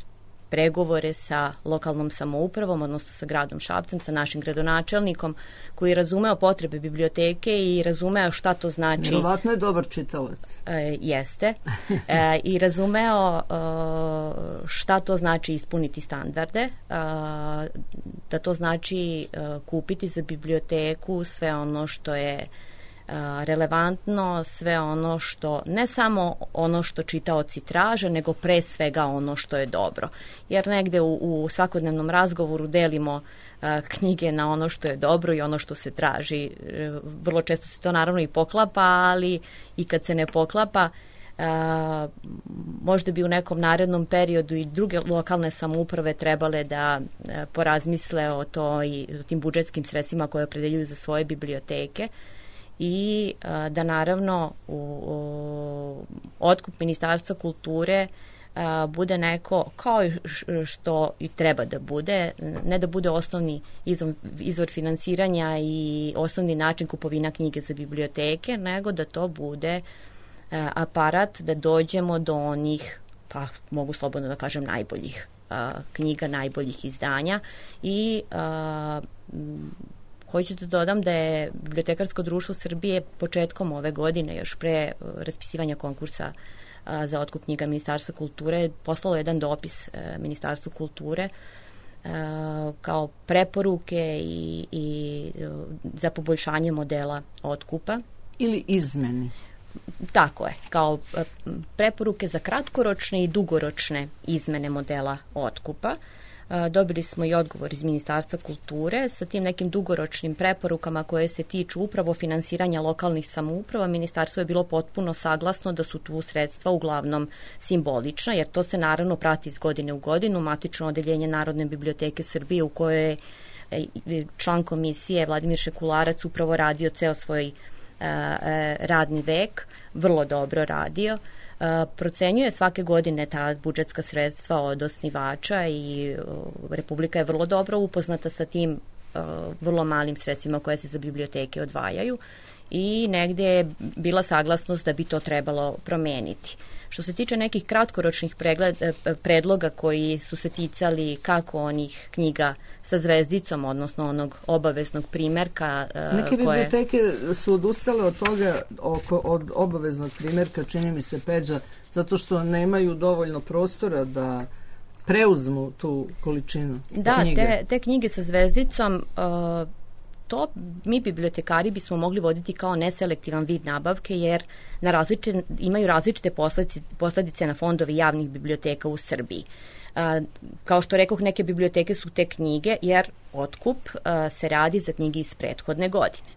pregovore sa lokalnom samoupravom, odnosno sa gradom Šapcem, sa našim gradonačelnikom, koji je razumeo potrebe biblioteke i razumeo šta to znači.
Vjerovatno je dobar čitalac.
E, jeste. E, I razumeo e, šta to znači ispuniti standarde, e, da to znači e, kupiti za biblioteku sve ono što je relevantno, sve ono što, ne samo ono što čitaoci traže, nego pre svega ono što je dobro. Jer negde u, u svakodnevnom razgovoru delimo a, knjige na ono što je dobro i ono što se traži. Vrlo često se to naravno i poklapa, ali i kad se ne poklapa, a, možda bi u nekom narednom periodu i druge lokalne samouprave trebale da a, porazmisle o, to i, o tim budžetskim sredstvima koje opredeljuju za svoje biblioteke, i a, da naravno u, u otkup Ministarstva kulture a, bude neko kao što i treba da bude, ne da bude osnovni izvor, izvor finansiranja i osnovni način kupovina knjige za biblioteke, nego da to bude a, aparat da dođemo do onih, pa mogu slobodno da kažem, najboljih a, knjiga, najboljih izdanja. I a, hoću da dodam da je Bibliotekarsko društvo Srbije početkom ove godine, još pre raspisivanja konkursa a, za otkup knjiga Ministarstva kulture, poslalo jedan dopis a, Ministarstvu kulture a, kao preporuke i, i a, za poboljšanje modela otkupa.
Ili izmeni.
Tako je, kao a, preporuke za kratkoročne i dugoročne izmene modela otkupa. Dobili smo i odgovor iz Ministarstva kulture sa tim nekim dugoročnim preporukama koje se tiču upravo finansiranja lokalnih samouprava. Ministarstvo je bilo potpuno saglasno da su tu sredstva uglavnom simbolična, jer to se naravno prati iz godine u godinu. Matično odeljenje Narodne biblioteke Srbije, u kojoj je član komisije Vladimir Šekularac upravo radio ceo svoj radni vek, vrlo dobro radio. Uh, procenjuje svake godine ta budžetska sredstva od osnivača i uh, Republika je vrlo dobro upoznata sa tim uh, vrlo malim sredstvima koje se za biblioteke odvajaju i negde je bila saglasnost da bi to trebalo promeniti. Što se tiče nekih kratkoročnih pregled, predloga koji su se ticali kako onih knjiga sa zvezdicom, odnosno onog obaveznog primerka.
Neke koje... biblioteke su odustale od toga, oko, od obaveznog primerka, čini mi se, Peđa, zato što nemaju dovoljno prostora da preuzmu tu količinu
da,
knjige.
Da, te, te knjige sa zvezdicom uh, to mi bibliotekari bismo mogli voditi kao neselektivan vid nabavke, jer na različite, imaju različite posledice, posledice na fondovi javnih biblioteka u Srbiji. A, kao što rekoh, neke biblioteke su te knjige, jer otkup a, se radi za knjige iz prethodne godine.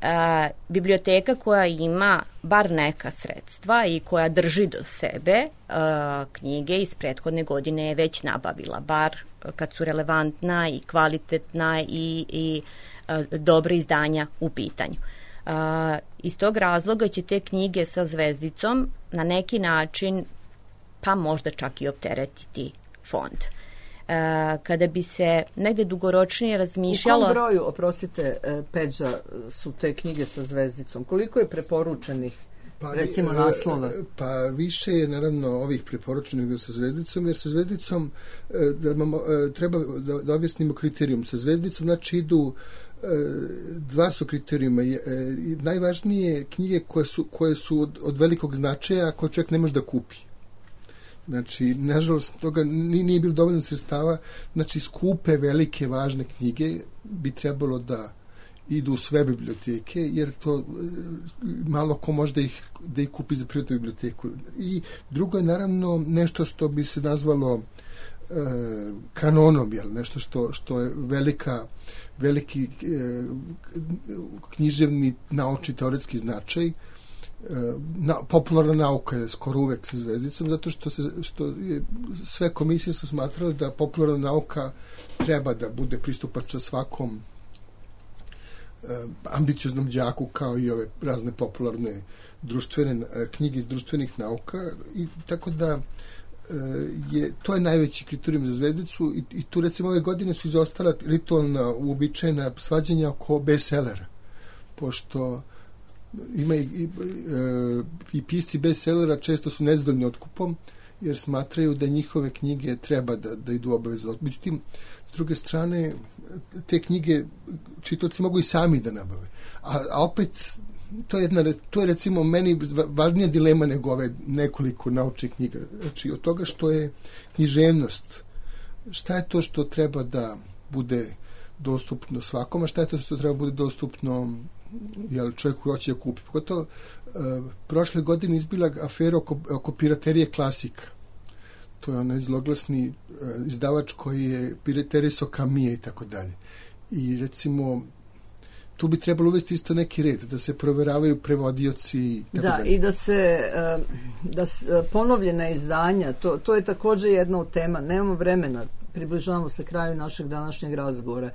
A, biblioteka koja ima bar neka sredstva i koja drži do sebe a, knjige iz prethodne godine je već nabavila, bar kad su relevantna i kvalitetna i, i a, dobra izdanja u pitanju. A, iz tog razloga će te knjige sa zvezdicom na neki način pa možda čak i opteretiti fond. E, kada bi se negde dugoročnije razmišljalo...
U kom broju, oprostite, Peđa, su te knjige sa zvezdicom? Koliko je preporučenih, pa, recimo, naslova?
Pa više je, naravno, ovih preporučenih sa zvezdicom, jer sa zvezdicom da imamo, treba da, da objasnimo kriterijum. Sa zvezdicom, znači, idu dva su kriterijuma. Najvažnije knjige koje su, koje su od, od velikog značaja, koje čovjek ne može da kupi. Znači, nažalost, toga nije bilo dovoljno sredstava. Znači, skupe, velike, važne knjige bi trebalo da idu u sve biblioteke, jer to malo ko može da ih, da ih kupi za privatnu biblioteku. I drugo je, naravno, nešto što bi se nazvalo e, kanonom, jel? Nešto što, što je velika, veliki e, književni, naučni, teoretski značaj. Na, popularna nauka je skoro uvek sa zvezdicom, zato što, se, što je, sve komisije su smatrale da popularna nauka treba da bude pristupačna svakom e, ambicioznom đaku, kao i ove razne popularne društvene e, knjige iz društvenih nauka, i tako da e, je, to je najveći kriterijum za zvezdicu, i, i tu recimo ove godine su izostala ritualna, uobičajena svađanja oko bestsellera, pošto ima i, i, i pisci bestsellera često su nezadovoljni otkupom, jer smatraju da njihove knjige treba da, da idu obavezno. Međutim, s druge strane, te knjige čitaoci mogu i sami da nabave. A, a opet, to je, jedna, to je recimo meni važnija dilema nego ove nekoliko naučnih knjiga. Znači, od toga što je književnost, šta je to što treba da bude dostupno svakom, a šta je to što treba bude dostupno jel, čovjek koji hoće da kupi. Pogotovo, e, prošle godine izbila afera oko, oko piraterije klasika. To je onaj zloglasni e, izdavač koji je piraterisao Kamije i tako dalje. I recimo, tu bi trebalo uvesti isto neki red, da se proveravaju prevodioci i tako
da,
dalje.
I da se da se ponovljena izdanja, to, to je također jedna od tema. Nemamo vremena, približavamo se kraju našeg današnjeg razgovora.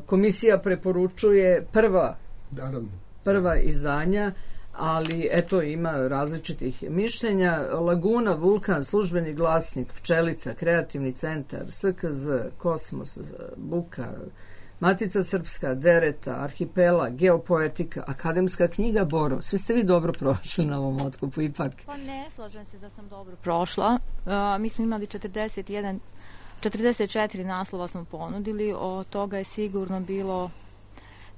Komisija preporučuje prva
Naravno.
prva izdanja, ali eto, ima različitih mišljenja. Laguna, Vulkan, Službeni glasnik, Pčelica, Kreativni centar, S K Z, Kosmos, Buka, Matica Srpska, Dereta, Arhipela, Geopoetika, Akademska knjiga, Boro. Sve ste vi dobro prošli na ovom otkupu, ipak.
Pa ne, slažem se da sam dobro prošla. Uh, mi smo imali četrdeset jedan, četrdeset četiri naslova smo ponudili, od toga je sigurno bilo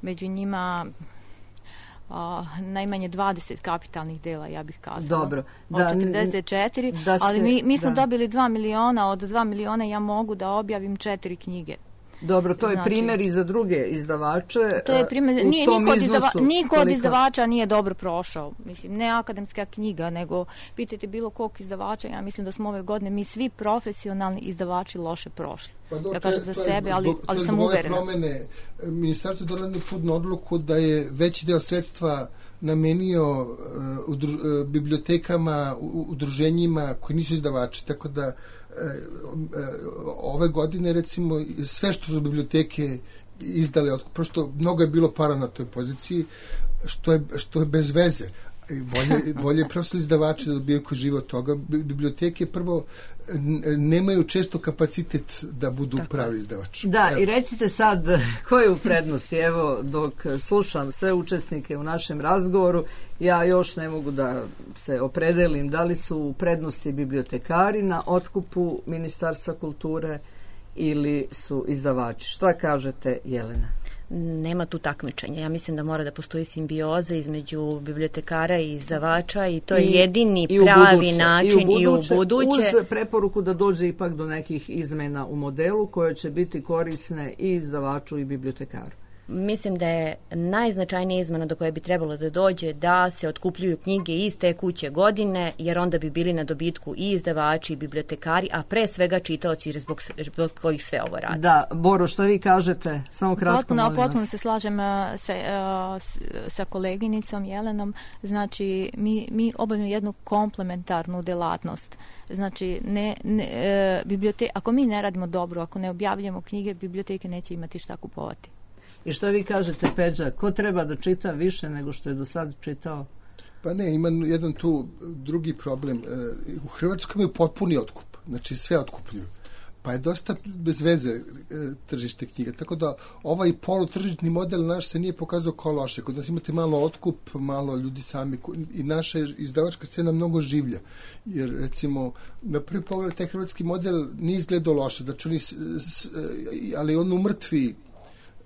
među njima uh, najmanje dvadeset kapitalnih dela, ja bih kazala.
Dobro.
Da, od četrdeset četiri, da se, ali mi, mi smo da. dobili dva miliona, od dva miliona ja mogu da objavim četiri knjige.
Dobro, to je znači, primjer i za druge izdavače.
To je primjer, nije, niko, od, izdava, niko od izdavača nije dobro prošao. Mislim, ne akademska knjiga, nego pitajte bilo kog izdavača, ja mislim da smo ove godine mi svi profesionalni izdavači loše prošli. Pa do, ja kažem za sebe, ali, zbog, ali sam uverena.
Promene, ministarstvo je donelo čudnu odluku da je veći deo sredstva namenio uh, udru, uh, bibliotekama, u, udruženjima koji nisu izdavači, tako da ove godine recimo sve što su biblioteke izdale, prosto mnogo je bilo para na toj poziciji, što je, što je bez veze. Bolje, bolje prosto izdavači da dobijaju koji žive od toga. Biblioteke prvo nemaju često kapacitet da budu tako pravi izdavači.
Da, evo. I recite sad ko je u prednosti. Evo, dok slušam sve učesnike u našem razgovoru, ja još ne mogu da se opredelim da li su u prednosti bibliotekari na otkupu Ministarstva kulture ili su izdavači. Šta kažete, Jelena?
Nema tu takmičenja. Ja mislim da mora da postoji simbioza između bibliotekara i izdavača i to je I, jedini i pravi buduće, način i u, buduće, i u buduće.
Uz preporuku da dođe ipak do nekih izmena u modelu koje će biti korisne i izdavaču i bibliotekaru.
mislim da je najznačajnija izmena do koje bi trebalo da dođe da se otkupljuju knjige iz tekuće godine, jer onda bi bili na dobitku i izdavači i bibliotekari, a pre svega čitaoci zbog, zbog kojih sve ovo radi.
Da, Boro, što vi kažete? Samo kratko,
potpuno,
molim vas.
Potpuno se slažem uh, sa, uh, sa koleginicom Jelenom. Znači, mi, mi obavljamo jednu komplementarnu delatnost. Znači, ne, ne, e, bibliote, ako mi ne radimo dobro, ako ne objavljamo knjige, biblioteke neće imati šta kupovati.
I što vi kažete, Peđa, ko treba da čita više nego što je do sad čitao?
Pa ne, ima jedan tu drugi problem. U Hrvatskoj imaju potpuni otkup, znači sve otkupljuju. Pa je dosta bez veze tržište knjiga. Tako da ovaj polutržišni model naš se nije pokazao kao loše. Kod nas imate malo otkup, malo ljudi sami i naša izdavačka scena mnogo življa. Jer recimo na prvi pogled taj hrvatski model nije izgledao loše. Znači oni, ali on umrtvi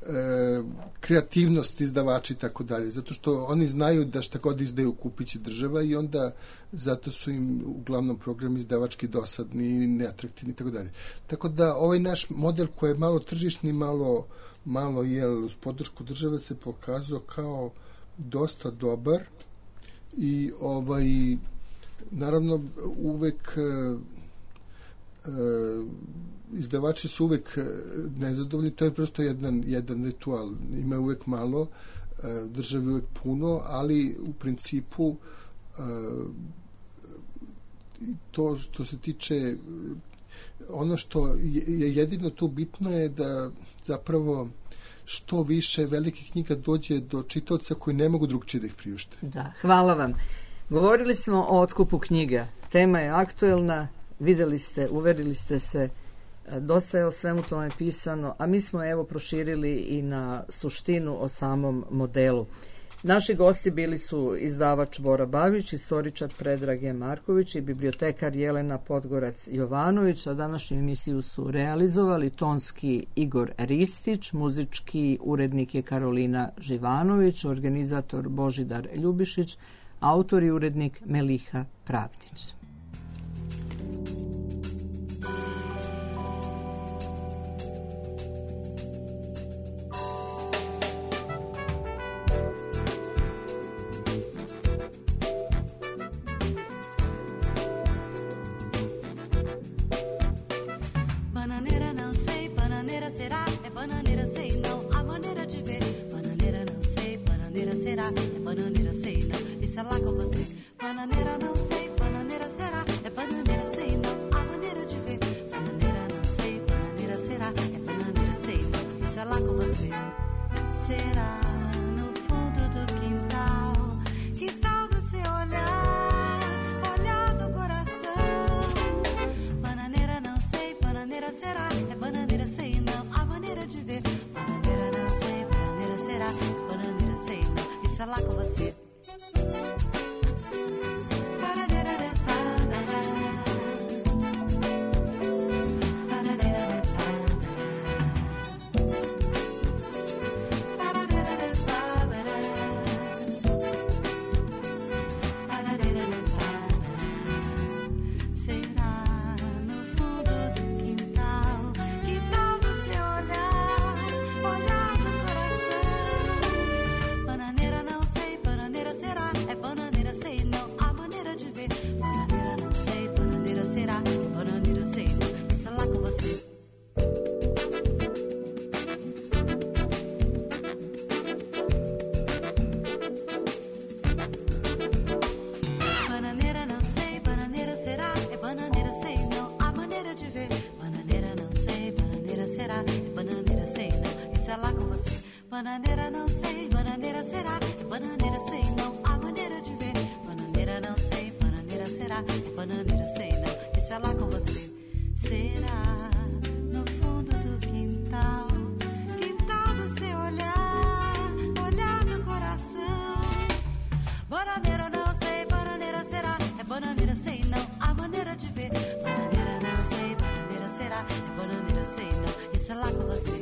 E, kreativnost izdavači i tako dalje, zato što oni znaju da šta god izdaju kupit će država i onda zato su im uglavnom programi izdavački dosadni i neatraktivni i tako dalje. Tako da ovaj naš model koji je malo tržišni, malo, malo jel, uz podršku države se pokazao kao dosta dobar i ovaj naravno uvek e, e, izdavači su uvek nezadovoljni, to je prosto jedan, jedan ritual. Ima uvek malo, državi uvek puno, ali u principu to što se tiče ono što je jedino tu bitno je da zapravo što više velikih knjiga dođe do čitaoca koji ne mogu drugčije da ih priušte.
Da, hvala vam. Govorili smo o otkupu knjiga. Tema je aktuelna, videli ste, uverili ste se, dosta je o svemu tome pisano, a mi smo evo proširili i na suštinu o samom modelu. Naši gosti bili su izdavač Bora Babić, istoričar Predrag Marković i bibliotekar Jelena Podgorac-Jovanović, a današnju emisiju su realizovali tonski Igor Ristić, muzički urednik je Karolina Živanović, organizator Božidar Ljubišić, autor i urednik Meliha Pravdić.
Bananeira não sei, bananeira será, bananeira sei não, a maneira de ver. Bananeira não sei, bananeira será, bananeira sei não, deixa lá com você. Será no fundo do quintal, quintal do seu olhar, olhar do coração. Bananeira não sei, bananeira será, é bananeira sei não, a maneira de ver. Bananeira não sei, bananeira será, é bananeira sei não, deixa lá com você.